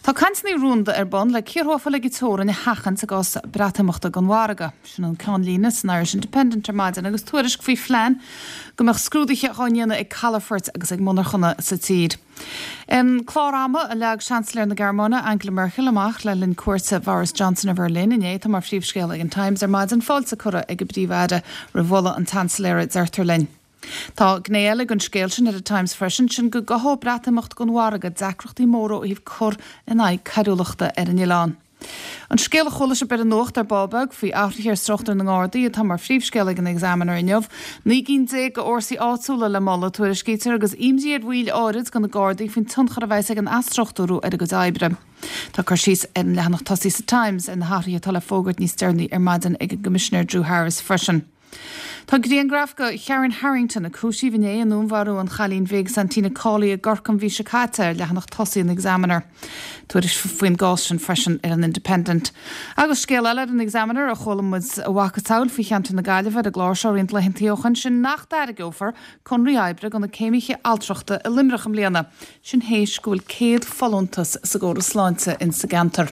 Tá cainteanna rúnda ar bun le cíortha a fáil ag an teorainn a sheachaint i gcás Breatimeachta gan mhargadh. Sin an ceannlíne san Irish Independent ar maidin agus tuairisc faoi phlean go mbeadh scrúduithe dhá ndéanamh ag calafoirt agus ag monarchana sa tír. An clár ama a leag Seansailéir na Gearmáine, Angela Merkel, amach le linn cuairte Bhoris Johnson ar Bheirlin inné atá mar phríomhscéal ag an Times ar maidin, fáilte curtha ag an bPríomh-Aire roimh mholadh an tSeansailéara, deirtear linn. Tá gné eile den scéal sin ar an Times freisin, sin go gcothódh Breatimeacht gan mhargadh deacrachtaí móra ó thaobh cur in aghaidh coiriúlachta ar an oileán. An scéal a chuala sibh ar an nuacht ar ball beag faoi athruithe ar struchtúr na nGardaí atá mar phríomhscéal ag an Examiner inniu. 19 gcinn de fhórsaí áitiúla le moladh, tuairiscítear, agus imní ar bhaill áirid de na Gardaí faoin tionchar a bheas ag an athstruchtúrú ar a gcuid oibre. Tá cur síos ar an leathanach tosaigh sa Times ar na hathruithe atá le fógairt níos deireanaí ar maidin ag an gCoimisinéir Drew Harris freisin. Tá grianghraf de Karen Harrington, a cúisíodh inné i ndúnmharú an chailín bhig Santina Cawley i gCorcaigh an mhí seo caite, ar leathanach tosaigh an Examiner. Tuairisc faoin gcás sin freisin ar an Independent. Agus scéal eile ar an Examiner a chuala muid a mhacasamhail faoi cheantar na Gaillimhe ar an gclár seo roinnt laethantaí ó shoin, sin nach dtairgeofar conraí oibre do na céimithe altrachta i Luimneach i mbliana, sin théis go bhfuil 100 folúntas sa gcóras sláinte insa gceantar.